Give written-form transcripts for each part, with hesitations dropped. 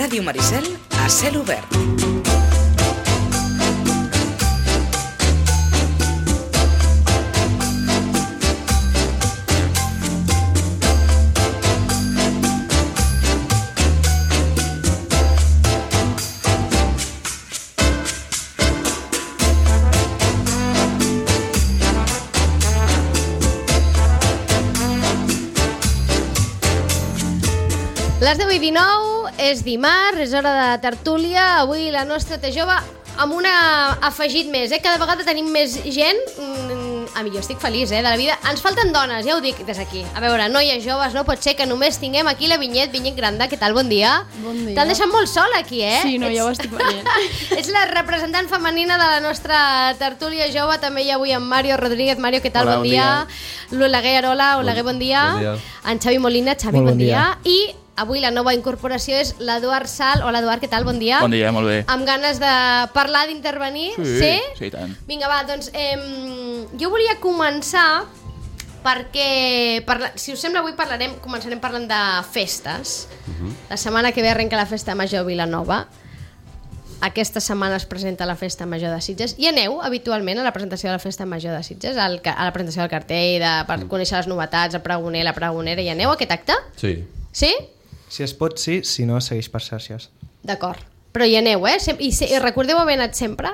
Ràdio Maricel a cel obert. Les 10:19, és dimarts, és hora de tertúlia. Avui la nostra té jove amb un afegit més, Cada vegada tenim més gent. A mi jo estic feliç, de la vida. Ens falten dones, ja ho dic des d'aquí. A veure, noies joves, no pot ser que només tinguem aquí la Vinyet Granda. Què tal? Bon dia. Bon dia. T'han deixat molt sol aquí, Sí, no, ja ho estic veient. Ets la representant femenina de la nostra tertúlia jove. També hi ha avui en Mario Rodríguez. Mario, què tal? Hola, bon dia. L'Oleguer Arola. Oleguer, bon dia. Bon dia. En Xavi Molina. Xavi, Molt bon bon dia. I avui la nova incorporació és l'Eduard Sal. Hola, Eduard, què tal? Bon dia. Bon dia, molt bé. Amb ganes de parlar, d'intervenir? Sí, i tant. Vinga, va, doncs jo volia començar perquè, si us sembla, avui començarem parlant de festes. La setmana que ve arrenca la Festa Major a Vilanova. Aquesta setmana es presenta la Festa Major de Sitges. I aneu habitualment a la presentació de la Festa Major de Sitges, a la presentació del cartell, per conèixer les novetats, el pregoner, la pregonera. I aneu a aquest acte? Sí. Sí? Si es pot, sí, si no, segueix per xarxes. D'acord. Però hi aneu, I recordeu haver anat sempre?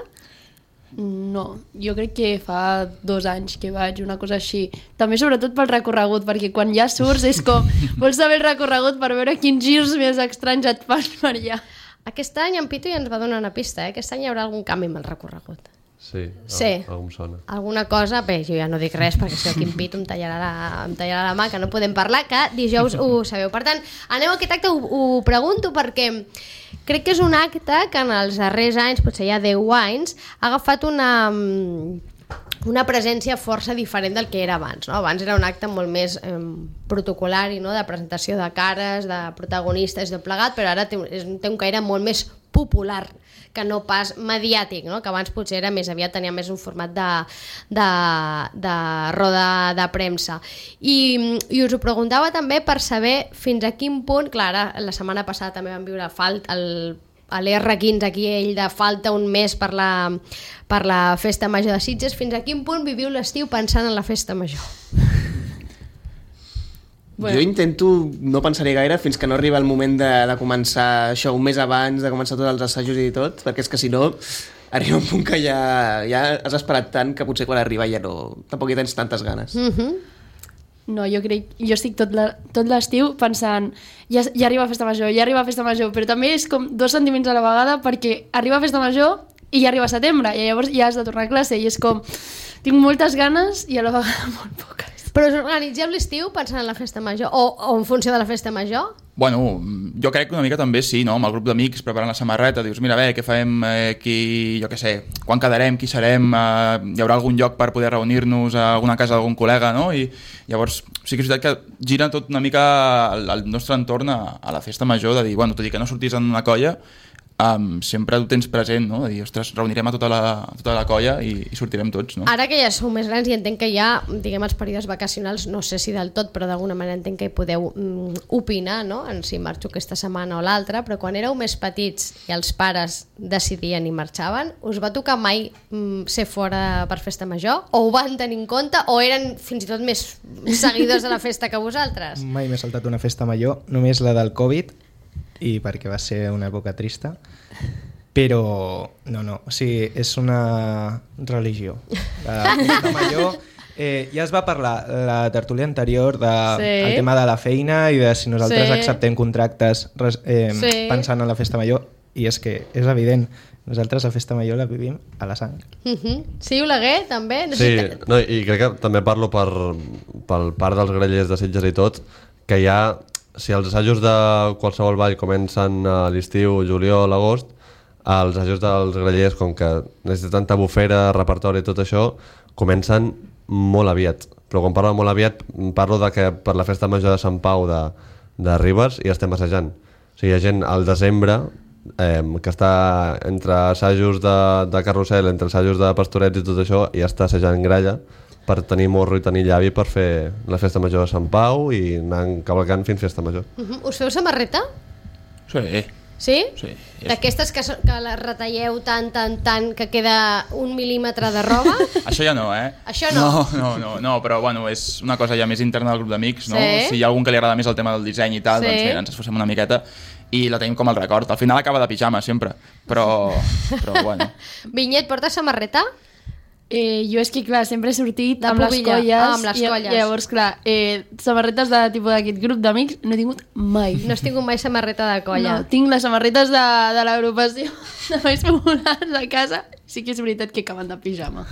No, jo crec que fa 2 anys que vaig, una cosa així. També sobretot pel recorregut, perquè quan ja surts és com, vols saber el recorregut per veure quins girs més estranys et fan per allà. Aquest any en Pitu ja ens va donar una pista, Aquest any hi haurà algun canvi amb el recorregut. Sí, Sí. algú em sona. Alguna cosa, bé, jo ja no dic res perquè si aquí en Pitu em tallarà la mà, que no podem parlar, que dijous ho sabeu. Per tant, aneu a aquest acte, ho pregunto perquè crec que és un acte que en els darrers anys, potser ja 10 anys, ha agafat una presència força diferent del que era abans, no? Abans era un acte molt més protocolari, no? De presentació de cares, de protagonistes, de plegat, però ara té un caire molt més popular que no pas mediàtic, no? Que abans potser era més aviat, tenia més un format de roda de premsa. I us ho preguntava també per saber fins a quin punt, clar, la setmana passada també vam viure a l'R15 aquí, ell de falta un mes per la Festa Major de Sitges. Fins a quin punt viviu l'estiu pensant en la Festa Major? Bueno. Jo intento no pensar-hi gaire fins que no arriba el moment de començar això un mes abans, de començar tots els assajos i tot, perquè és que si no arriba un punt que ja has esperat tant que potser quan arriba ja no, tampoc hi tens tantes ganes. No, jo estic tot l'estiu pensant ja arriba Festa Major, però també és com 2 sentiments a la vegada, perquè arriba Festa Major i ja arriba setembre, i llavors ja has de tornar a classe, i és com, tinc moltes ganes i a la vegada molt poques. Però us organitzeu l'estiu pensant en la Festa Major o en funció de la Festa Major? Bueno, jo crec que una mica també sí, no? Amb el grup d'amics preparant la samarreta, dius, mira, què farem, jo què sé, quan quedarem, qui serem, hi haurà algun lloc per poder reunir-nos a alguna casa d'algun col·lega, no? I llavors sí que és veritat que gira tot una mica el nostre entorn a la Festa Major, de dir, bueno, tot i que no sortís en una colla, sempre ho tens present, no? De dir, ostres, reunirem a tota la colla i sortirem tots, no? Ara que ja sou més grans i entenc que ja, diguem, els períodes vacacionals, no sé si del tot, però d'alguna manera entenc que hi podeu opinar, no? En si marxo aquesta setmana o l'altra, però quan éreu més petits i els pares decidien i marxaven, us va tocar mai ser fora per Festa Major? O ho van tenir en compte? O eren fins i tot més seguidors de la festa que vosaltres? Mai m'he saltat una Festa Major, només la del Covid, i perquè va ser una època trista, però no, o sigui, és una religió. La Festa Major, ja es va parlar la tertúlia anterior del tema de la feina i de si nosaltres acceptem contractes pensant en la Festa Major, i és que és evident, nosaltres la Festa Major la vivim a la sang. Sí, Oleguer, també? Sí, no, i crec que també parlo pel part dels grellers de Sitges i tot, que ja, si els assajos de qualsevol ball comencen a l'estiu, juliol, agost, els assajos dels grellers, com que necessiten tanta bufera, repertori i tot això, comencen molt aviat. Però quan parlo molt aviat, parlo de que per la Festa Major de Sant Pau de Ribes ja estem assajant. O sigui, hi ha gent al desembre que està entre assajos de carrusel, entre assajos de pastorets i tot això, i ja està assajant gralla per tenir morro i tenir llavi per fer la Festa Major de Sant Pau i anar cavalcant fins Festa Major. Us feu samarreta? Sí. Sí? Sí. D'aquestes que les retalleu tant que queda 1 mil·límetre de roba? Això ja no, Això no? No, però bueno, és una cosa ja més interna del grup d'amics, no? Sí. Si hi ha algun que li agrada més el tema del disseny i tal, Sí. doncs mira, ens esforcem una miqueta i la tenim com el record. Al final acaba de pijama, sempre, però bueno. Vinyet, portes samarreta? Jo és que, clar, sempre he sortit De amb les pubilla. colles. Ah, amb les colles. I llavors, clar, samarretes de tipus d'aquest grup d'amics no he tingut mai. No has tingut mai samarreta de colla? No, tinc les samarretes de l'agrupació de Valls Populars a casa. Sí que és veritat que acaben de pijama.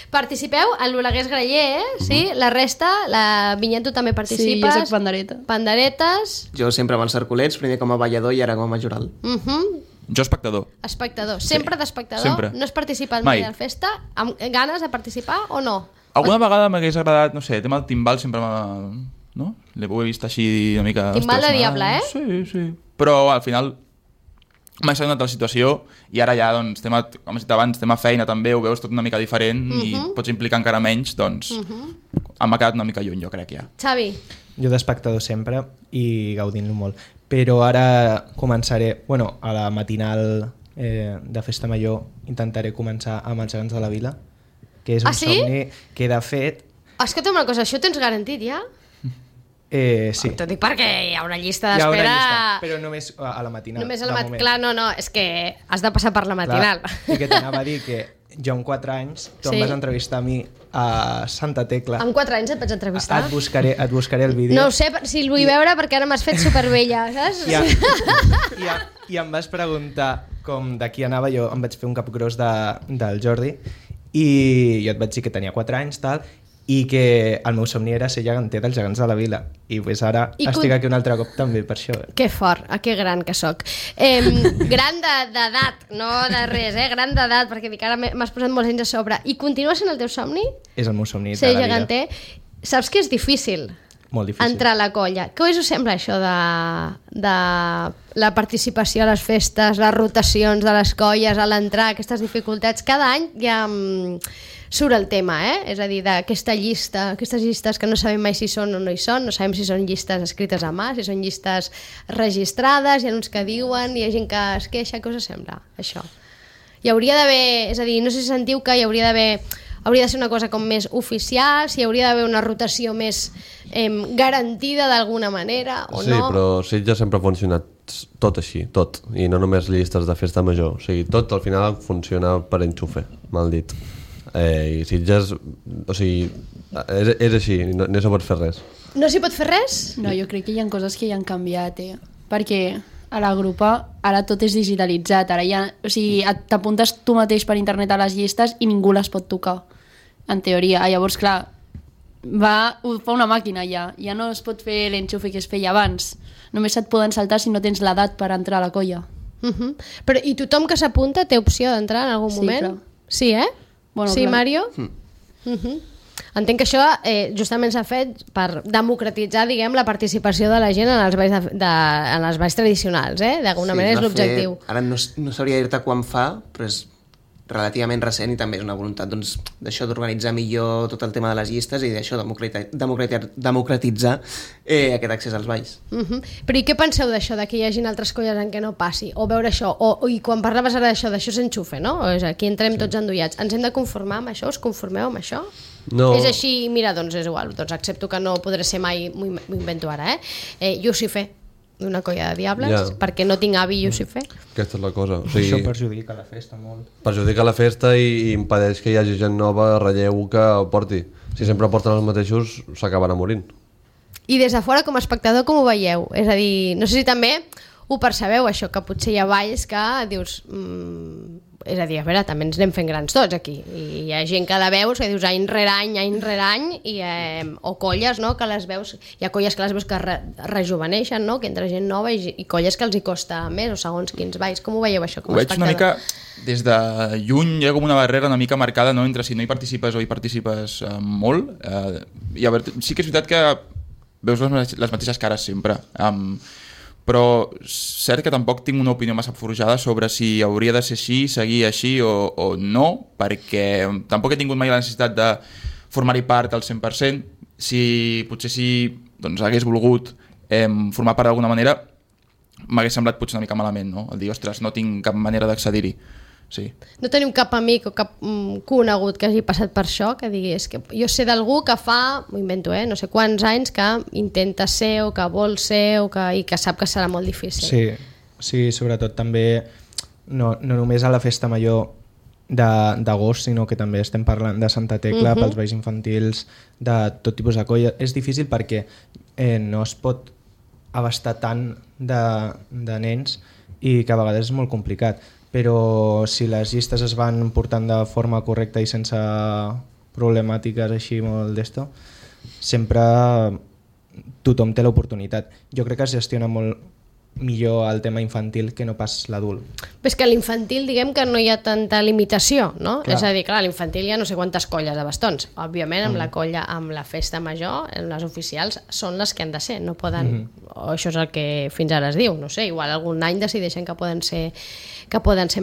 Participeu en l'Oleguers Graller, sí? La resta, la Vinyet, tu també Sí, participes? jo soc pandereta. Panderetes? Jo sempre amb els cerculets, primer com a ballador i ara com a jural. Jo espectador. Espectador. Sempre d'espectador? sempre. No has participat Mai. mai a la festa? Amb ganes de participar o no? Alguna vegada m'hagués agradat, no sé, el tema del timbal sempre m'ha... No? L'he vist així una mica... Timbal de ostres, diable, eh? Sí. Però al final m'ha estat una altra situació i ara ja, doncs, com he dit abans, tema feina també, ho veus tot una mica diferent i pots implicar encara menys, doncs m'ha quedat una mica lluny, jo crec, ja. Xavi? Jo d'espectador sempre i gaudint-lo molt. Però ara començaré, bueno, a la matinal de Festa Major intentaré començar amb els gegants de la vila, que és un sí? somni que de fet... Escolta'm una cosa, això ho tens garantit ja? Sí. T'ho dic perquè hi ha una llista Hi ha una d'espera... llista, però només a la matinal. Només a de la moment. Clar, no, és que has de passar per la matinal. Clar, i que t'anava a dir que jo amb 4 anys, tu Sí. em vas entrevistar a mi a Santa Tecla. Amb 4 anys et vaig entrevistar? Et buscaré el vídeo. No ho sé si el vull veure perquè ara m'has fet supervella, saps? I em vas preguntar com d'aquí anava, jo em vaig fer un capgròs del Jordi i jo et vaig dir que tenia 4 anys tal, i que el meu somni era ser geganter dels gegants de la vila i pues ara estic aquí un altre cop també per això. Que fort, que gran que sóc. Gran d'edat, no de res, gran d'edat, perquè dic, ara m'has posat molts anys a sobre. I continua sent el teu somni? És el meu somni Ser de la geganter. Saps que és difícil? Molt difícil. Entrar a la colla. Què us sembla això de la participació a les festes, les rotacions de les colles, a l'entrar, aquestes dificultats? Cada any ja surt el tema, és a dir, d'aquesta llista, aquestes llistes que no sabem mai si són o no hi són, no sabem si són llistes escrites a mà, si són llistes registrades, hi ha uns que diuen, hi ha gent que es queixa, què us sembla, això? Hi hauria d'haver, és a dir, no sé si sentiu que hi hauria de ser una cosa com més oficial, si hi hauria d'haver una rotació més garantida d'alguna manera o sí, no. Sí, però Sitges sempre ha funcionat tot així, tot. I no només llistes de festa major. O sigui, tot al final funciona per enxufe, mal dit. I Sitges, o sigui, és així, no s'hi pot fer res. No s'hi pot fer res? No, jo crec que hi ha coses que ja han canviat, perquè a la grupa ara tot és digitalitzat, ara ja, o sigui, t'apuntes tu mateix per internet a les llistes i ningú les pot tocar, en teoria. Llavors, clar, ho fa una màquina ja no es pot fer l'enxufe que es feia abans, només et poden saltar si no tens l'edat per entrar a la colla. Però i tothom que s'apunta té opció d'entrar en algun moment? Clar. Sí, Bueno, sí, clar. Mario? Entenc que això justament s'ha fet per democratitzar, diguem, la participació de la gent en els balls tradicionals, d'alguna manera és l'objectiu. Ara no sabria dir-te quan fa, però és relativament recent i també és una voluntat d'això d'organitzar millor tot el tema de les llistes i d'això democratitzar aquest accés als balls. Però i què penseu d'això, que hi hagin altres colles en què no passi? O veure això, i quan parlaves ara d'això s'enxufe, no? O és aquí entrem tots endollats. Ens hem de conformar amb això? Us conformeu amb això? No. És així, mira, doncs és igual, doncs accepto que no podré ser mai, m'ho invento ara, jo sí fer d'una colla de diables, perquè no tinc avi i jo sí fer. Aquesta és la cosa. O sigui, Això perjudica la festa molt. perjudica la festa i impedeix que hi hagi gent nova, relleu, que ho porti. Si sempre porten els mateixos, s'acabarà morint. I des de fora, com a espectador, com ho veieu? És a dir, no sé si també ho percebeu, això, que potser hi ha balls que dius... és a dir, a veure, també ens anem fent grans tots aquí. I hi ha gent que la veus que dius any rere any, o colles, no?, que les veus... Hi ha colles que les veus que rejuveneixen, no?, que entra gent nova i colles que els hi costa més, o segons quins balls. Com ho veieu, això, com a espectador? Ho veig una mica... Des de lluny hi ha com una barrera una mica marcada, no?, entre si no hi participes o hi participes molt. I a veure, sí que és veritat que veus les mateixes cares sempre. Però cert que tampoc tinc una opinió massa forjada sobre si hauria de ser així, seguir així o no, perquè tampoc he tingut mai la necessitat de formar-hi part al 100%. Potser si doncs, hagués volgut formar part d'alguna manera, m'hagués semblat potser una mica malament, no? El dir, ostres, no tinc cap manera d'accedir-hi. Sí. No teniu cap amic o cap conegut que hagi passat per això, que diguis que jo sé d'algú que fa, m'ho invento, no sé quants anys, que intenta ser o que vol ser i que sap que serà molt difícil. Sí, sobretot també no només a la festa major d'agost, sinó que també estem parlant de Santa Tecla, pels balls infantils, de tot tipus de colla. És difícil perquè no es pot abastar tant de nens i que a vegades és molt complicat. Però si les llistes es van portant de forma correcta i sense problemàtiques així molt d'esto, sempre tothom té l'oportunitat. Jo crec que es gestiona molt millor el tema infantil que no pas l'adult. Però és que a l'infantil diguem que no hi ha tanta limitació, no? Clar. És a dir, clar, a l'infantil hi ha no sé quantes colles de bastons. Òbviament amb la colla, amb la festa major, les oficials són les que han de ser, no poden... O això és el que fins ara es diu, no sé, igual algun any decideixen que poden ser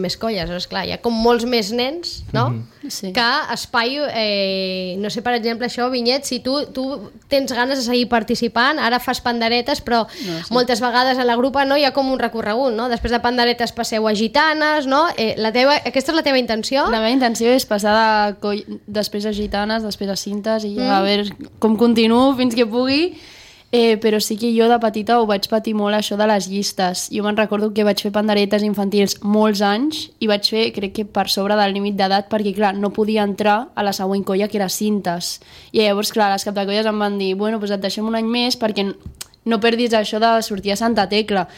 més colles. Llavors, clar, hi ha com molts més nens, no? Sí. Que espai... no sé, per exemple, això, Vinyet, si tu tens ganes de seguir participant, ara fas panderetes, però moltes vegades a la grupa no hi ha com un recorregut, no? Després de panderetes passeu a gitanes, no? Aquesta és la teva intenció? La meva intenció és passar després a gitanes, després a cintes i a veure com continuo fins que pugui. Però sí que jo de petita ho vaig patir molt, això de les llistes. Jo me'n recordo que vaig fer panderetes infantils molts anys i vaig fer, crec que per sobre del límit d'edat, perquè clar, no podia entrar a la següent colla, que era cintes. I llavors, clar, les captacolles em van dir, bueno, doncs et deixem un any més perquè no perdis això de sortir a Santa Tecla,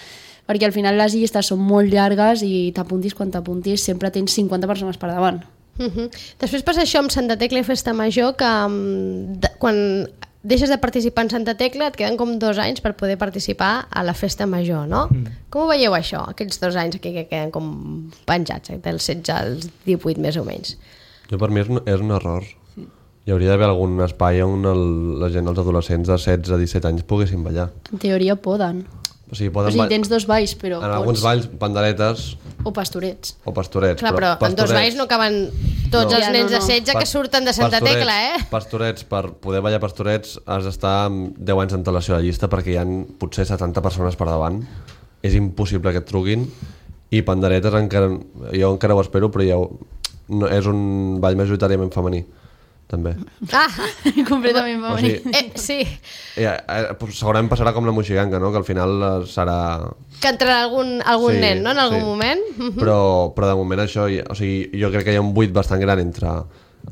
perquè al final les llistes són molt llargues i t'apuntis quan t'apuntis sempre tens 50 persones per davant. Després passa això amb Santa Tecla i Festa Major, que quan deixes de participar en Santa Tecla et queden com 2 anys per poder participar a la Festa Major, no? Com ho veieu això, aquests 2 anys aquí que queden com penjats, del 16 als 18 més o menys? Jo per mi és un error. Hi hauria d'haver algun espai on la gent, els adolescents de 16 a 17 anys poguessin ballar. En teoria poden. O sigui, tens 2 balls, però en alguns balls, panderetes o pastorets. Clar, però en 2 balls no caben tots els nens de 16 que surten de Santa Tecla, Pastorets, per poder ballar pastorets has d'estar amb 10 anys d'antelació a la llista perquè hi ha potser 70 persones per davant. És impossible que et truquin. I panderetes jo encara ho espero, però és un ball majoritàriament femení. també. Completament femení. Sí. Segurament passarà com la Moixiganga, no? Que al final serà... Que entrarà algun nen, no? En algun moment. Però de moment això, o sigui, jo crec que hi ha un buit bastant gran entre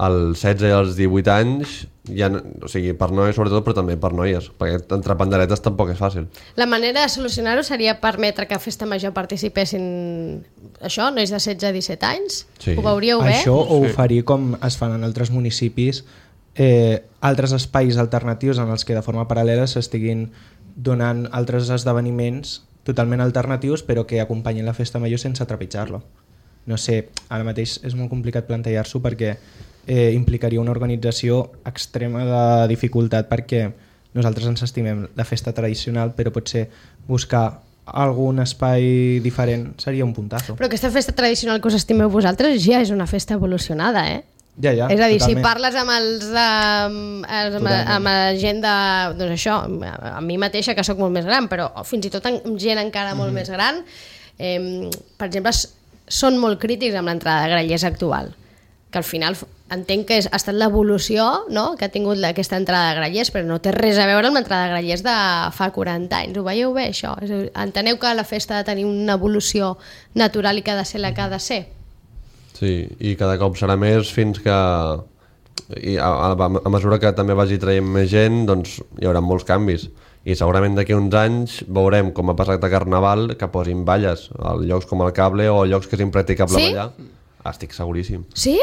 els 16 i els 18 anys, o sigui, per noies sobretot, però també per noies, perquè entre panderetes tampoc és fàcil. La manera de solucionar-ho seria permetre que a Festa Major participessin això, nois de 16 a 17 anys? Sí. Ho veuríeu bé? Això ho faria com es fan en altres municipis, altres espais alternatius en els que de forma paral·lela s'estiguin donant altres esdeveniments totalment alternatius però que acompanyin la Festa Major sense trepitjar-lo. No sé, ara mateix és molt complicat plantejar-s'ho perquè implicaria una organització extrema de dificultat, perquè nosaltres ens estimem la festa tradicional, però potser buscar algun espai diferent seria un puntazo. Però aquesta festa tradicional que us estimeu vosaltres ja és una festa evolucionada, Ja, és a dir, totalment. si parles amb la gent de... Doncs això, a mi mateixa, que sóc molt més gran, però fins i tot amb gent encara molt més gran, per exemple, són molt crítics amb l'entrada de grallers actual, que al final entenc que ha estat l'evolució, no?, que ha tingut aquesta entrada de grallers, però no té res a veure amb l'entrada de grallers de fa 40 anys. Ho veieu bé, això? Enteneu que la festa ha de tenir una evolució natural i que ha de ser la que ha de ser? Sí, i cada cop serà més fins que a mesura que també vagi traient més gent, doncs hi haurà molts canvis. I segurament d'aquí uns anys veurem, com ha passat a Carnaval, que posin balles a llocs com el Cable o a llocs que és impracticable ballar. Estic seguríssim. Sí?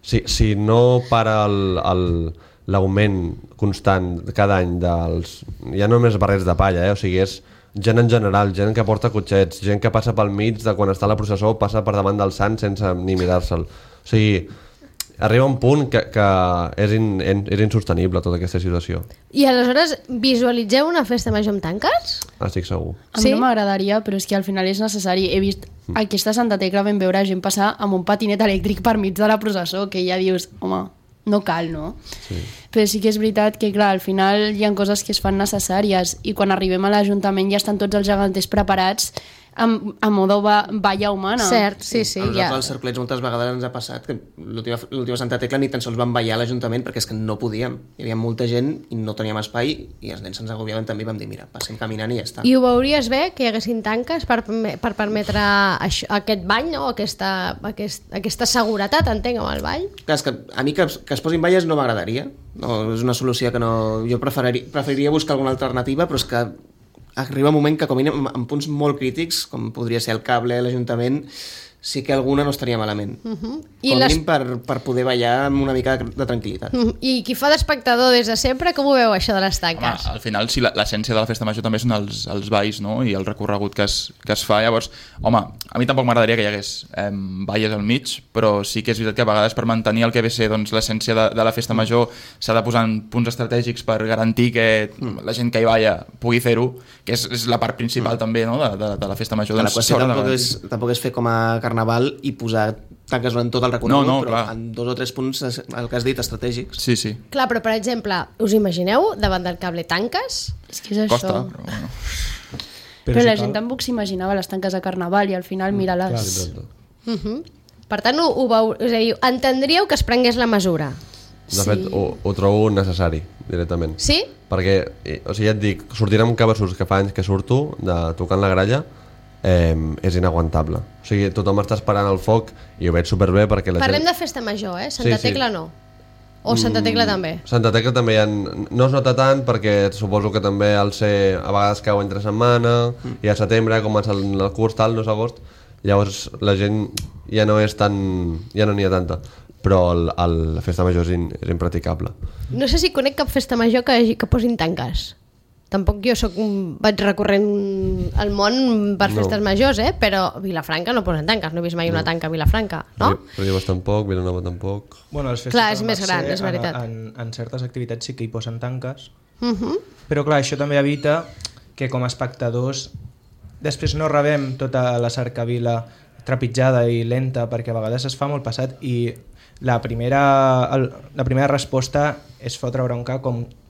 Sí, si no para l'augment constant cada any dels... Ja no només barrets de palla, o sigui, és gent en general, gent que porta cotxets, gent que passa pel mig de quan està a la processó, passa per davant del sant sense ni mirar-se'l. O sigui, arriba un punt que és insostenible tota aquesta situació. I aleshores visualitzeu una festa major amb tanques? Estic segur. A mi no m'agradaria, però és que al final és necessari. He vist aquesta Santa Tecla, vam veure gent passar amb un patinet elèctric per mig de la processó, que ja dius, home, no cal, no? Sí. Però sí que és veritat que, clar, al final hi ha coses que es fan necessàries i quan arribem a l'Ajuntament ja estan tots els geganters preparats a modo valla humana. Cert, sí. A nosaltres als cerclets moltes vegades ens ha passat que l'última Santa Tecla ni tan sols vam ballar a l'Ajuntament perquè és que no podíem. Hi havia molta gent i no teníem espai i els nens se'ns agobiaven també i vam dir, mira, passem caminant i ja està. I ho veuries bé, que hi haguessin tanques per permetre aquest ball, no? Aquesta seguretat, entenc, amb el ball? Clar, és que a mi que es posin valles no m'agradaria. No, és una solució que no... Jo preferiria buscar alguna alternativa, però és que arriba un moment que com en punts molt crítics, com podria ser el cable, l'Ajuntament, sí que alguna no estaria malament. Com mínim per poder ballar amb una mica de tranquil·litat. I qui fa d'espectador des de sempre, com ho veu això de les tanques? Home, al final, sí, l'essència de la festa major també són els balls, no? I el recorregut que es fa. Llavors, home, a mi tampoc m'agradaria que hi hagués balles al mig, però sí que és veritat que a vegades per mantenir el que ve a ser doncs, l'essència de la festa major s'ha de posar en punts estratègics per garantir que la gent que hi balla pugui fer-ho, que és la part principal també, no? de la festa major. La qüestió tampoc és fer com a Carnaval i posar tanques durant tot el recorregut, però en 2 o 3 punts, el que has dit, estratègics. Sí. Clar, però per exemple, us imagineu davant del cable tanques? És que és això. Costa, però bueno. Però la gent tampoc s'imaginava les tanques de Carnaval i al final mira-les. Per tant, és a dir, entendríeu que es prengués la mesura? De fet, ho trobo necessari, directament. Sí? Perquè, o sigui, ja et dic, sortir amb cabassos que fa anys que surto, tocant la gralla, és inaguantable. O sigui, tothom està esperant el foc i ho veig superbé perquè la Parlem gent... de festa major, Santa Tecla no. O Santa Tecla també? Santa Tecla també no es nota tant perquè suposo que també al ser a vegades cau entre setmana i a setembre comença el curs tal, no és agost, llavors la gent ja no n'hi ha tanta, però la festa major és impraticable. No sé si conec cap festa major que posin tanques. Tampoc jo vaig recorrent el món per festes majors, però a Vilafranca no posen tanques, no he vist mai una tanca a Vilafranca, no? Ribes tampoc, Vilanova tampoc... Bueno, les festes clar, és més gran, és veritat. En certes activitats sí que hi posen tanques, però clar, això també evita que com a espectadors després no rebem tota la cercavila trepitjada i lenta, perquè a vegades es fa molt passat i la primera resposta és fotre bronca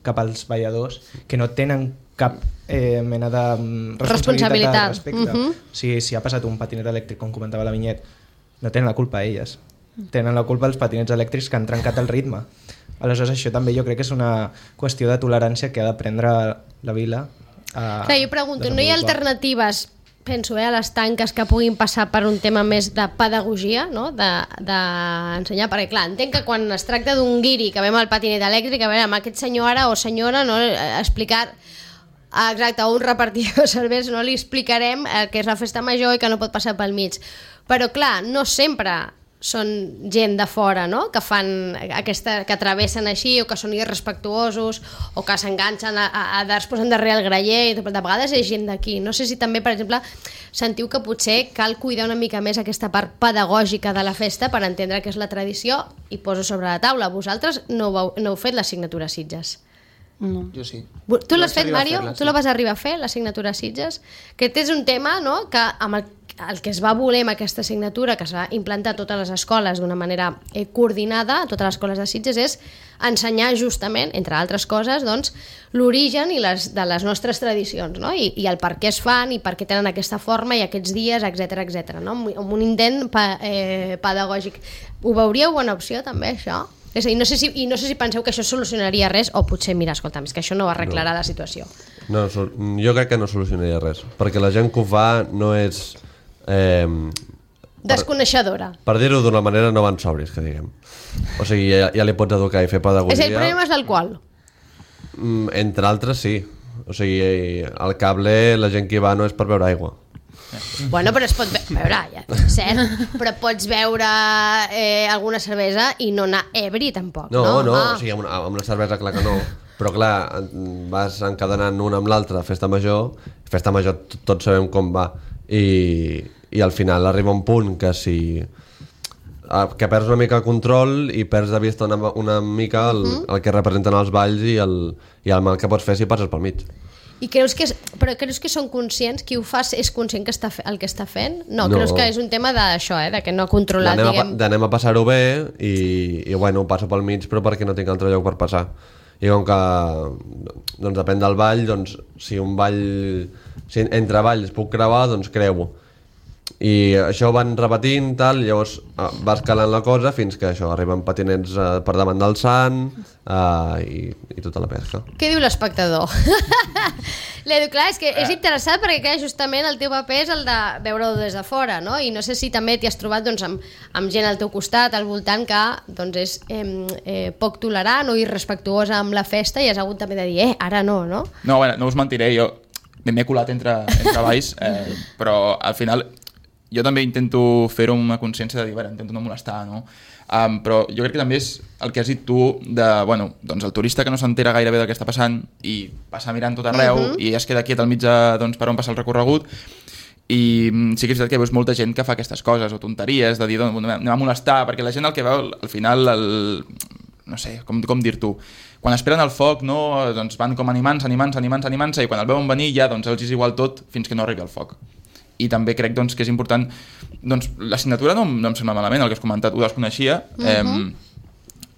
cap als balladors que no tenen cap mena de responsabilitat al respecte. Si ha passat un patinet elèctric, com comentava la Vinyet, no tenen la culpa elles. Tenen la culpa els patinets elèctrics que han trencat el ritme. Aleshores, això també jo crec que és una qüestió de tolerància que ha de prendre la vila. Clar, jo pregunto, no hi ha alternatives, penso, a les tanques que puguin passar per un tema més de pedagogia, no? d'ensenyar, perquè clar, entenc que quan es tracta d'un guiri que ve amb el patinet elèctric, a veure, amb aquest senyor ara o senyora, no? Explicar exacte, un repartidor de cervesa, no li explicarem que és la festa major i que no pot passar pel mig, però clar, no sempre són gent de fora, no? Que fan que travessen així o que són irrespectuosos o que s'enganxen es posen darrere el graller i de vegades és gent d'aquí. No sé si també, per exemple, sentiu que potser cal cuidar una mica més aquesta part pedagògica de la festa per entendre què és la tradició i poso sobre la taula. Vosaltres no heu fet l'assignatura Sitges? No. Jo sí. Tu l'has fet, Mario? Tu la vas arribar a fer, l'assignatura Sitges? Que és un tema, no?, que amb el que es va voler amb aquesta assignatura, que s'ha implantat a totes les escoles d'una manera coordinada, a totes les escoles de Sitges, és ensenyar justament, entre altres coses, doncs, l'origen de les nostres tradicions, no? I el per què es fan i per què tenen aquesta forma i aquests dies, etc, no? Amb un intent pedagògic. Ho veuríeu bona opció, també, això? És a dir, no sé si penseu que això solucionaria res o potser, mira, escolta'm, és que això no arreglarà la situació. No, jo crec que no solucionaria res, perquè la gent que ho fa no és... desconeixedora. Per dir-ho d'una manera, no van sobris, que diguem. O sigui, ja li pots educar i fer pedagogia. És el problema és l'alcohol? Entre altres, sí. O sigui, al cable la gent que hi va no és per beure aigua. Bueno, però es pot veure, ja, cert, però pots beure alguna cervesa i no anar ebri tampoc, no? No, o sigui, amb una cervesa clar que no, però clar, vas encadenant una amb l'altra, festa major tots sabem com va, i al final arriba un punt que que perds una mica el control i perds de vista una mica el que representen els balls i el mal que pots fer si passes pel mig. I creus que són conscients, qui ho fa és conscient que el que està fent? No, creus que és un tema d'això, de que no ha controlat, d'anem a passar-ho bé i bueno, passo pel mig però perquè no tinc altre lloc per passar. I com que doncs depèn del ball, doncs si entre balls puc creuar, doncs creuo. I això van repetint, tal, llavors va escalant la cosa fins que això arriben patinets per davant del sant i tota la pesca. Què diu l'espectador? L'Edu, clar, és que és interessant perquè clar, justament el teu paper és el de veure-ho des de fora, no? I no sé si també t'hi has trobat doncs, amb gent al teu costat, al voltant, que doncs, és poc tolerant o irrespectuosa amb la festa i has hagut també de dir, ara no, no? No, bueno, no us mentiré, jo m'he colat entre balls, però al final jo també intento fer-ho amb una consciència de dir, intento no molestar, no? Però jo crec que també és el que has dit tu de, bueno, doncs el turista que no s'entera gairebé del que està passant i passa mirant tot arreu i es queda quiet al mig doncs, per on passa el recorregut i sí que és veritat que veus molta gent que fa aquestes coses o tonteries de dir, doncs, anem a molestar, perquè la gent el que veu al final, no sé, com dir-t'ho, quan esperen el foc, no, doncs van com animant-se i quan el veuen venir ja doncs, els és igual tot fins que no arribi el foc. I també crec doncs, que és important, doncs, la signatura no em sembla malament, el que has comentat, ho desconeixia,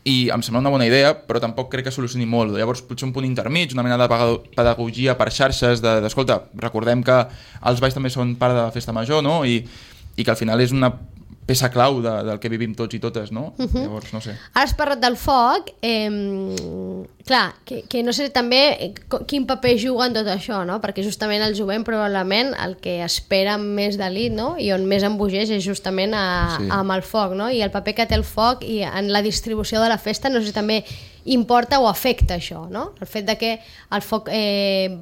i em sembla una bona idea, però tampoc crec que solucioni molt. Llavors potser un punt intermig, una mena de pedagogia per xarxes, d'escolta, recordem que els balls també són part de la festa major, no? I que al final és una peça clau del que vivim tots i totes, no? Llavors, no sé. Ara has parlat del foc, clar, que no sé també quin paper juga en tot això, no? Perquè justament el jovent probablement el que espera més d'elit, no? I on més embogeix és justament amb el foc, no? I el paper que té el foc i en la distribució de la festa, no sé si també importa o afecta això, no? El fet de que el foc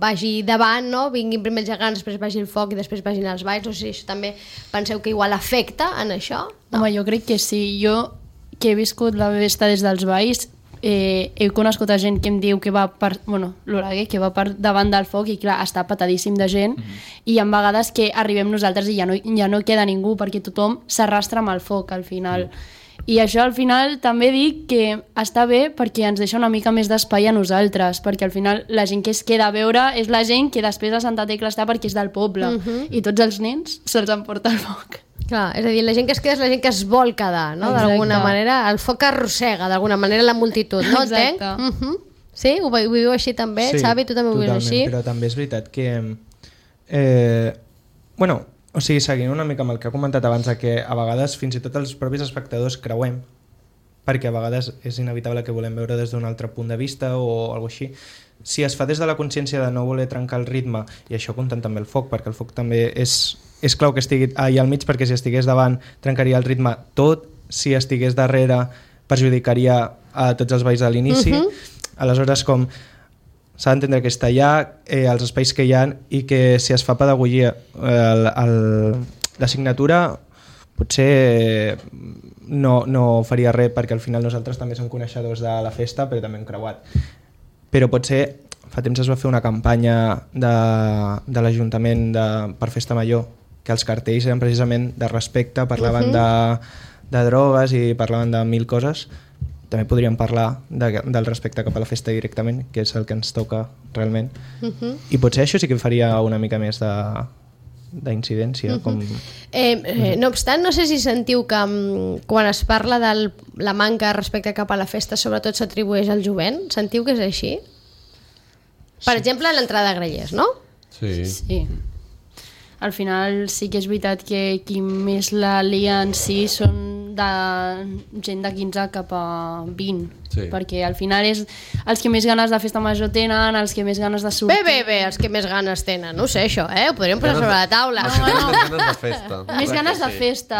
vagi davant, no? Vinguin primer els gegants, després vagi el foc i després vagin els balls, o sigui, això també penseu que igual afecta en això? No. Home, jo crec que sí. Jo, que he viscut la festa des dels balls, he conegut a gent que em diu que va l'Oraguer, que va per davant del foc i clar, està petadíssim de gent i hi ha vegades que arribem nosaltres i ja no queda ningú perquè tothom s'arrastra amb el foc al final. I això al final també dic que està bé perquè ens deixa una mica més d'espai a nosaltres, perquè al final la gent que es queda a veure és la gent que després a Santa Tecla està perquè és del poble i tots els nens se'ls emporta el foc. Clar, és a dir, la gent que es queda és la gent que es vol quedar, no? D'alguna manera, el foc arrossega d'alguna manera la multitud, no? Exacte. Sí? Ho viu així també? Sí, Xavi, tu també ho vius així? Però també és veritat que o sigui, seguint una mica amb el que ha comentat abans, que a vegades fins i tot els propis espectadors creuem, perquè a vegades és inevitable que volem veure des d'un altre punt de vista o alguna així. Si es fa des de la consciència de no voler trencar el ritme, i això comptant també el foc, perquè el foc també és clau que estigui allà al mig, perquè si estigués davant trencaria el ritme tot, si estigués darrere perjudicaria a tots els balls de l'inici. Aleshores, com s'ha d'entendre que està allà, els espais que hi ha, i que si es fa pedagogia, la signatura potser no faria res, perquè al final nosaltres també som coneixedors de la festa, però també hem creuat. Però potser fa temps es va fer una campanya de l'Ajuntament per Festa Major, que els cartells eren precisament de respecte, parlaven de drogues i parlaven de mil coses. També podríem parlar del respecte cap a la festa directament, que és el que ens toca realment. I potser això sí que faria una mica més d'incidència. No obstant, no sé si sentiu que quan es parla de la manca de respecte cap a la festa sobretot s'atribueix al jovent. Sentiu que és així? Per exemple, l'entrada a grellers, no? Sí. Al final sí que és veritat que qui més la lia en si són de gent de 15 cap a 20, perquè al final és els que més ganes de festa major tenen, els que més ganes de sortir. Bé, els que més ganes tenen, no sé això, ho podríem posar sobre la taula. Més ganes de festa. Més ganes de festa,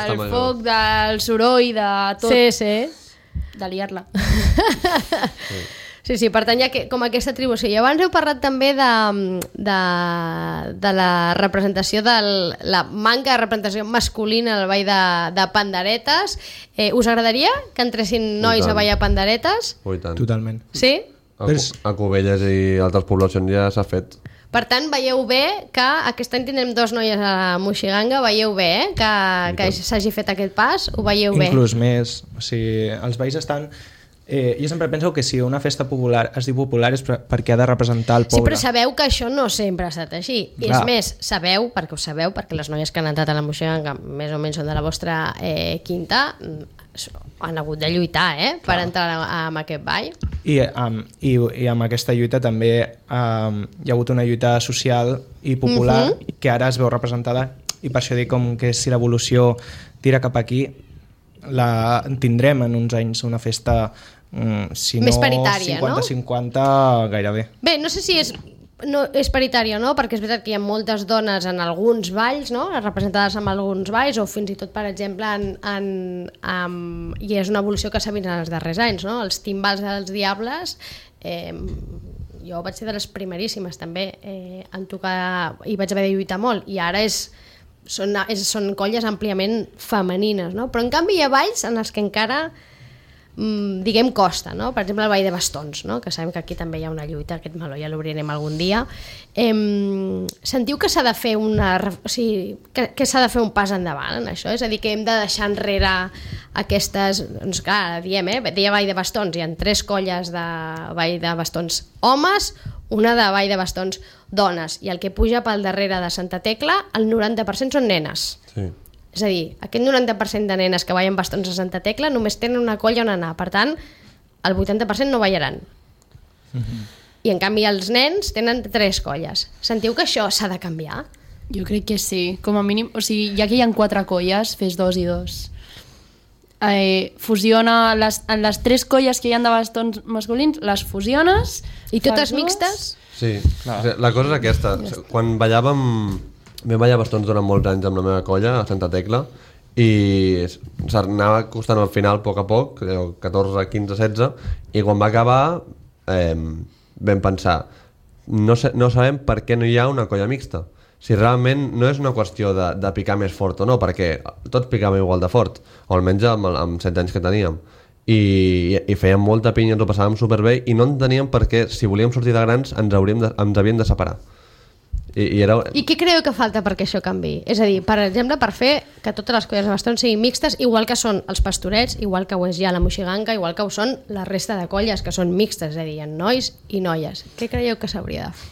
del foc, del soroll, de tot. Sí. De liar-la. Sí, per tant hi ha com aquesta atribució. I abans heu parlat també de la representació, de la manca de representació masculina al ball de panderetes. Us agradaria que entressin nois a ballar panderetes? Totalment. Sí? A Cubelles i altres poblacions ja s'ha fet. Per tant, veieu bé que aquest any tindrem 2 noies a Moixiganga, veieu bé que s'hagi fet aquest pas? Ho veieu bé? Inclús més. O sigui, els balls estan Jo sempre penso que si una festa popular es diu popular és perquè ha de representar el Sí, poble. però sabeu que això no sempre ha estat així. I és Clar. més, sabeu, perquè les noies que han entrat a la moixiganga més o menys són de la vostra quinta, han hagut de lluitar per entrar en aquest ball. I amb aquesta lluita també hi ha hagut una lluita social i popular que ara es veu representada, i per això dic com que si l'evolució tira cap aquí la tindrem en uns anys una festa si Més no paritària, 50-50 gairebé. Bé, no sé si és paritària o no, perquè és veritat que hi ha moltes dones en alguns balls, no? Representades en alguns balls, o fins i tot, per exemple, i és una evolució que s'ha vist en els darrers anys, no? Els timbals dels Diables, jo vaig ser de les primeríssimes també en tocar, i vaig haver de lluitar molt, i ara són colles àmpliament femenines, no? Però en canvi hi ha balls en els que encara diguem costa, no? Per exemple el ball de bastons, no? Que sabem que aquí també hi ha una lluita, aquest meló ja l'obrirem algun dia. Sentiu que s'ha de fer que s'ha de fer un pas endavant en això? És a dir, que hem de deixar enrere aquestes, doncs clar, diem, deia ball de bastons, hi ha 3 colles de ball de bastons homes, una de ball de bastons dones, i el que puja pel darrere de Santa Tecla, el 90% són nenes. Sí. És a dir, aquest 90% de nenes que ballen bastons a Santa Tecla només tenen una colla on anar, per tant, el 80% no ballaran. I en canvi els nens tenen 3 colles. Sentiu que això s'ha de canviar? Jo crec que sí, com a mínim, o sigui, ja que hi ha 4 colles, fes 2 i 2. Fusiona en les 3 colles que hi ha de bastons masculins, les fusiones... I totes fas 2. mixtes? Sí, la cosa és aquesta. Quan ballàvem... Vam ballar bastons durant molts anys amb la meva colla, a Santa Tecla, i s'anava costant al final, a poc, 14, 15, 16, i quan va acabar vam pensar, no sabem per què no hi ha una colla mixta. Si realment no és una qüestió de picar més fort o no, perquè tots picàvem igual de fort, o almenys amb 7 anys que teníem. I fèiem molta pinya, ens ho passàvem superbé, i no enteníem per què, si volíem sortir de grans, ens havíem de separar. I què creieu que falta perquè això canvi? És a dir, per exemple, per fer que totes les colles de bastons siguin mixtes, igual que són els pastorets, igual que ho és ja la moixiganga, igual que ho són la resta de colles que són mixtes, és a dir, hi ha nois i noies. Què creieu que s'hauria de fer?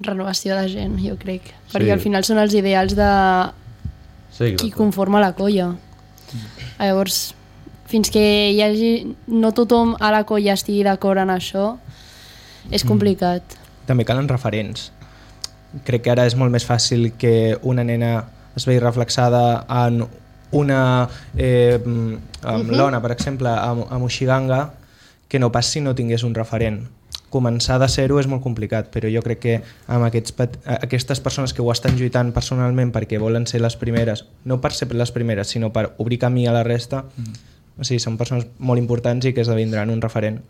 Renovació de gent, jo crec. Perquè al final són els ideals de qui conforma la colla. Llavors, fins que hi hagi... no tothom a la colla estigui d'acord en això, és complicat. També calen referents. Crec que ara és molt més fàcil que una nena es vegi reflexada en una l'Ona, per exemple, a Moixiganga, que no pas si no tingués un referent. Començar de zero és molt complicat, però jo crec que amb aquestes persones que ho estan lluitant personalment perquè volen ser les primeres, no per ser les primeres, sinó per obrir camí a la resta, o sigui, són persones molt importants i que esdevindran un referent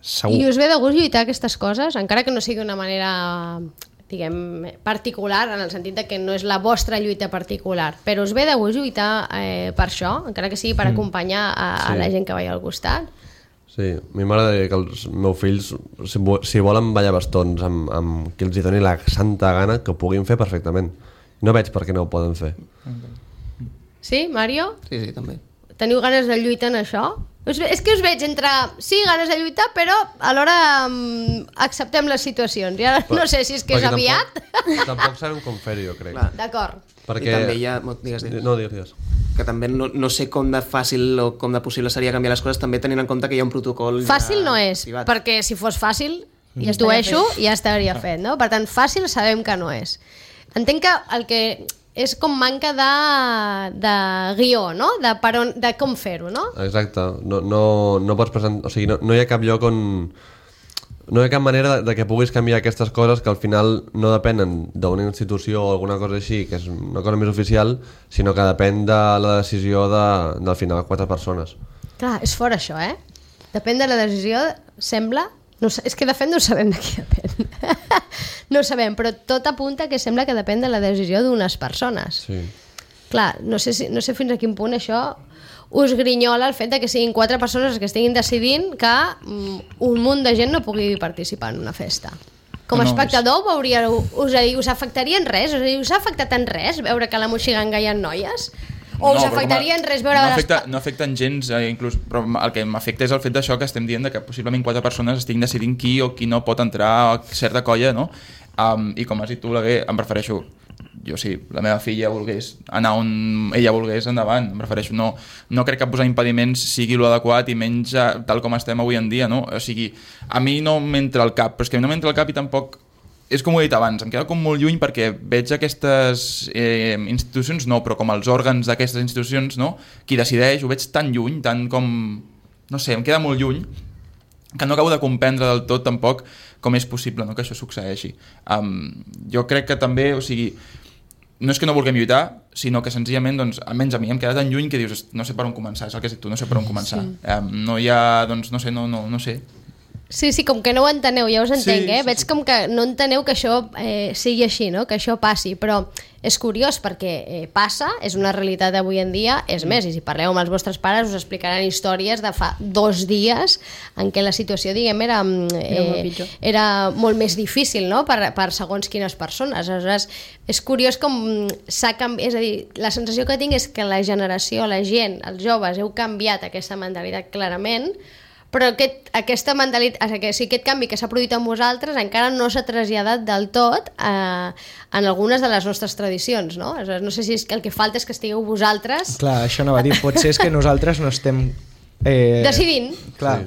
segur. I us ve de gust lluitar aquestes coses, encara que no sigui d'una manera, diguem, particular, en el sentit de que no és la vostra lluita particular, però us ve de gust lluitar per això, encara que sigui per acompanyar a la gent que balla al costat? Sí, a mi m'agradaria que els meus fills, si volen ballar bastons amb qui els hi doni la santa gana, que ho puguin fer perfectament. No veig per què no ho poden fer. Sí, Mario? Sí, també. Teniu ganes de lluitar en això? És que us veig entre, sí, ganes de lluitar, però alhora acceptem les situacions. Ja no sé si és que és aviat. Tampoc sabem com fer-ho, jo crec. D'acord. I també hi ha... Digues. No, digues. Que també no sé com de fàcil o com de possible seria canviar les coses, també tenint en compte que hi ha un protocol... Fàcil no és, privat. perquè si fos fàcil, intueixo, ja estaria fet, no? Per tant, fàcil sabem que no és. Entenc que el que és com manca de guió, no? De com fer-ho, no? Exacte. No pots presentar... O sigui, no hi ha cap lloc on... No hi ha cap manera de que puguis canviar aquestes coses que al final no depenen d'una institució o alguna cosa així, que és una cosa més oficial, sinó que depèn de la decisió del final 4 persones. Clar, és fort això, Depèn de la decisió, sembla... No, és que de fet no sabem de qui depèn. No sabem, però tot apunta que sembla que depèn de la decisió d'unes persones. Sí. Clar, no sé fins a quin punt això us grinyola el fet de que siguin 4 persones que estiguin decidint que un munt de gent no pugui participar en una festa. Com a espectador us afectaria en res? Us ha afectat en res veure que a la Moixiganga hi ha noies? O us però afectaria en res veure... no afecten gens, inclús, però el que m'afecta és el fet d'això que estem dient, que possiblement 4 persones estiguin decidint qui o qui no pot entrar a certa colla, no? I com has dit tu, em prefereixo... Jo sí, la meva filla volgués anar on ella volgués, endavant, em prefereixo. No crec que posar impediments sigui l'adequat i menys tal com estem avui en dia, no? O sigui, a mi no m'entra al cap, però és que no m'entra al cap i tampoc... És com ho he dit abans, em queda com molt lluny perquè veig aquestes institucions, no, però com els òrgans d'aquestes institucions, no? Qui decideix, ho veig tan lluny, tan com... No sé, em queda molt lluny, que no acabo de comprendre del tot tampoc com és possible, no?, que això succeeixi. Jo crec que també, o sigui... No és que no vulguem lluitar, sinó que senzillament, doncs, almenys a mi em queda tan lluny que dius, no sé per on començar, és el que has dit tu, no sé per on començar. Sí. No hi ha, doncs, no sé. Sí, com que no ho enteneu, ja us entenc, sí. Veig com que no enteneu que això sigui així, no? Que això passi, però és curiós perquè passa, és una realitat d'avui en dia, és més, i si parleu amb els vostres pares us explicaran històries de fa 2 dies en què la situació, diguem, era molt més difícil, no? Per segons quines persones. Aleshores, és curiós com s'ha canviat, és a dir, la sensació que tinc és que la generació, la gent, els joves, heu canviat aquesta mentalitat clarament, però aquesta mentalitat, aquest canvi que s'ha produït amb vosaltres encara no s'ha traslladat del tot en algunes de les nostres tradicions, no? No sé si és que el que falta és que estigueu vosaltres... Clar, això no va dir, potser és que nosaltres no estem... decidint. Clar,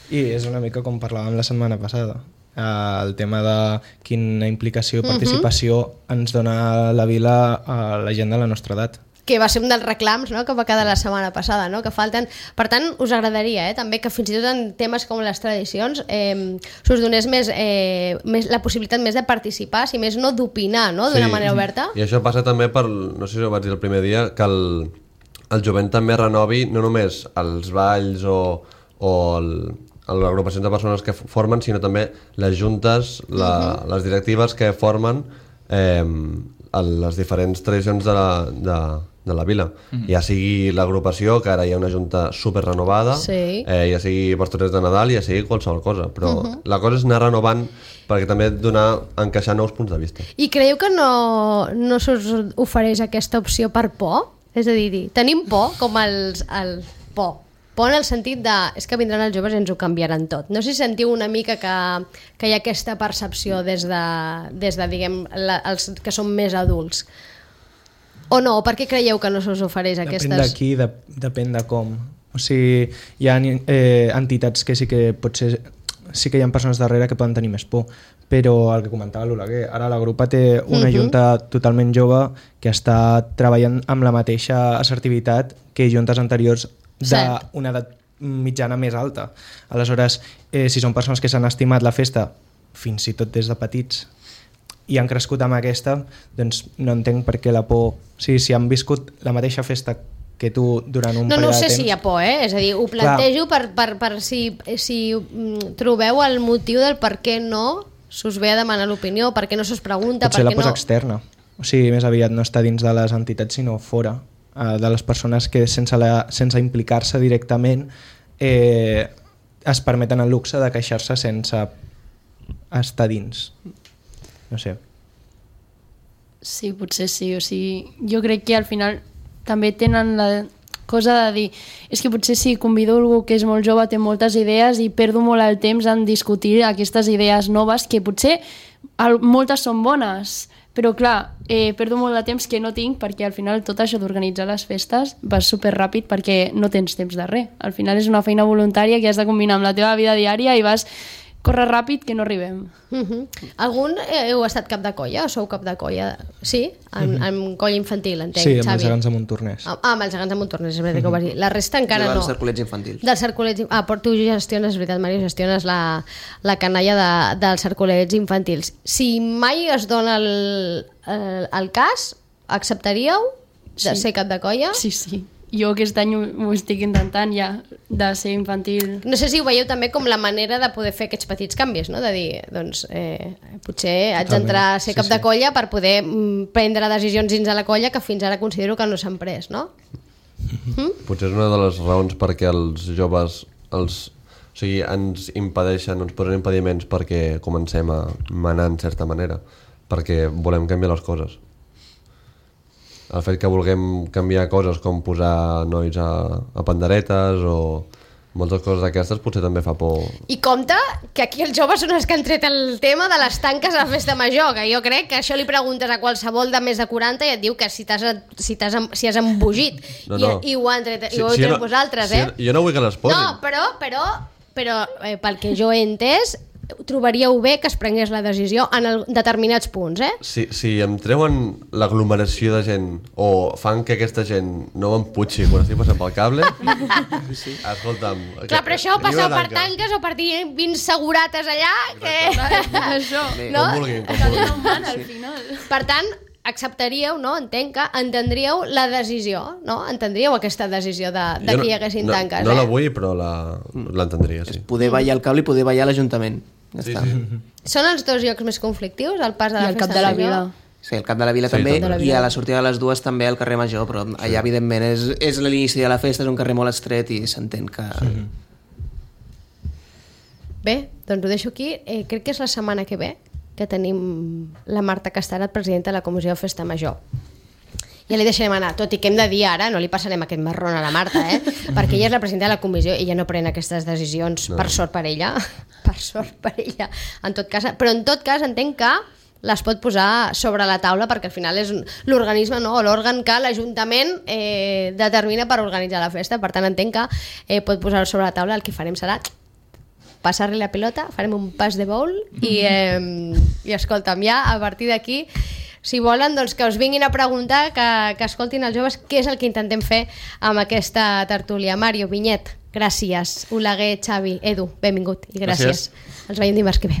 i és una mica com parlàvem la setmana passada. El tema de quina implicació i participació ens dona la vila a la gent de la nostra edat. Que va ser un dels reclams, no?, que va quedar la setmana passada, no?, que falten... Per tant, us agradaria també que fins i tot en temes com les tradicions s'us donés més la possibilitat més de participar, si més no d'opinar, no?, d'una manera oberta. I això passa també per, no sé si ho vaig dir el primer dia, que el jovent també renovi no només els balls o les agrupacions de persones que formen, sinó també les juntes, les directives que formen les diferents tradicions de la vila. Ja sigui l'agrupació, que ara hi ha una junta super renovada, ja sigui pastorets de Nadal, ja sigui qualsevol cosa, però la cosa és anar renovant perquè també encaixar nous punts de vista. I creieu que no s'us ofereix aquesta opció per por? És a dir, tenim por com el por en el sentit de és que vindran els joves i ens ho canviaran tot. No sé si sentiu una mica que hi ha aquesta percepció des de diguem, els que són més adults. O no? Per què creieu que no s'us ofereix aquestes... Depèn d'aquí, depèn de com. O sigui, hi ha entitats que sí que potser sí que hi ha persones darrere que poden tenir més por, però el que comentava l'Oleguer, ara la grupa té una junta totalment jove que està treballant amb la mateixa assertivitat que juntes anteriors d'una edat mitjana més alta. Aleshores, si són persones que s'han estimat la festa fins i tot des de petits i han crescut amb aquesta, doncs no entenc per què la por... O sigui, si han viscut la mateixa festa que tu durant un període de temps... No sé si hi ha por, és a dir, ho plantejo per si trobeu el motiu del per què no s'us ve a demanar l'opinió, per què no s'us pregunta, potser per què la posa externa, o sigui, més aviat no està dins de les entitats sinó fora de les persones que sense implicar-se directament es permeten el luxe de queixar-se sense estar dins. No sé. Sí, potser sí. O sigui, jo crec que al final també tenen la cosa de dir és que potser si convido algú que és molt jove té moltes idees i perdo molt el temps en discutir aquestes idees noves que potser moltes són bones, però clar, perdo molt de temps que no tinc perquè al final tot això d'organitzar les festes va superràpid perquè no tens temps de res. Al final és una feina voluntària que has de combinar amb la teva vida diària i vas córrer ràpid que no arribem. Algun heu estat cap de colla o sou cap de colla? Sí? En colla infantil, entenc, Xavi. Sí, amb els gegants de Montornès. Amb els gegants de Montornès, és veritat que ho vas dir. La resta encara no. Dels cercolets infantils. Dels cercolets... però tu gestiones, és veritat, Mario, gestiones la canalla dels cercolets infantils. Si mai es dona el cas, acceptaríeu de ser cap de colla? Sí. Jo aquest any ho estic intentant ja, de ser infantil. No sé si ho veieu també com la manera de poder fer aquests petits canvis, no? De dir, doncs, potser haig d'entrar a ser cap de colla per poder prendre decisions dins de la colla que fins ara considero que no s'han pres, no? Potser és una de les raons perquè els joves ens impedeixen, ens posen impediments perquè comencem a manar en certa manera, perquè volem canviar les coses. el fet que vulguem canviar coses com posar nois a panderetes o moltes coses d'aquestes potser també fa por. I compte que aquí els joves són els que han tret el tema de les tanques a la festa major, que jo crec que això li preguntes a qualsevol de més de 40 i et diu que si has embogit i ho han tret, i ho heu tret vosaltres, Jo no vull que les posin. No, però pel que jo he entès, trobaríeu bé que es prengués la decisió en determinats punts, Si em treuen l'aglomeració de gent o fan que aquesta gent no m'emputxi quan estic passant pel cable, escolta'm... Clar, però això passeu per tanques o per dir 20 segurates allà, que... Això. No? Com vulguin. Al final. Per tant, acceptaríeu, no? Entenc que entendríeu la decisió, no? Entendríeu aquesta decisió de que hi haguessin tanques, No la vull, però l'entendria, sí. Poder ballar el cable i poder ballar l'Ajuntament. Ja està. Són els dos llocs més conflictius, el pas de la I el festa cap de la major? vila. Sí, el cap de la vila també, i a la sortida de les dues també al carrer Major, però allà evidentment és l'inici de la festa, és un carrer molt estret i s'entén que... Bé, doncs ho deixo aquí. Crec que és la setmana que ve que tenim la Marta Castarat, presidenta de la Comissió de Festa Major. Ja li deixarem anar, tot i que hem de dir ara, no li passarem aquest marrón a la Marta, perquè ella és la presidenta de la comissió i ella no pren aquestes decisions, per sort per ella, en tot cas, però en tot cas entenc que les pot posar sobre la taula perquè al final és l'organisme, no? O l'òrgan que l'Ajuntament determina per organitzar la festa, per tant entenc que pot posar sobre la taula. El que farem serà passar-li la pilota, farem un pas de bowl i escolta'm, ja a partir d'aquí, si volen, doncs que us vinguin a preguntar, que escoltin els joves què és el que intentem fer amb aquesta tertúlia. Mario, Vinyet, gràcies. Oleguer, Xavi, Edu, benvingut i gràcies. Els veiem dimarts que ve.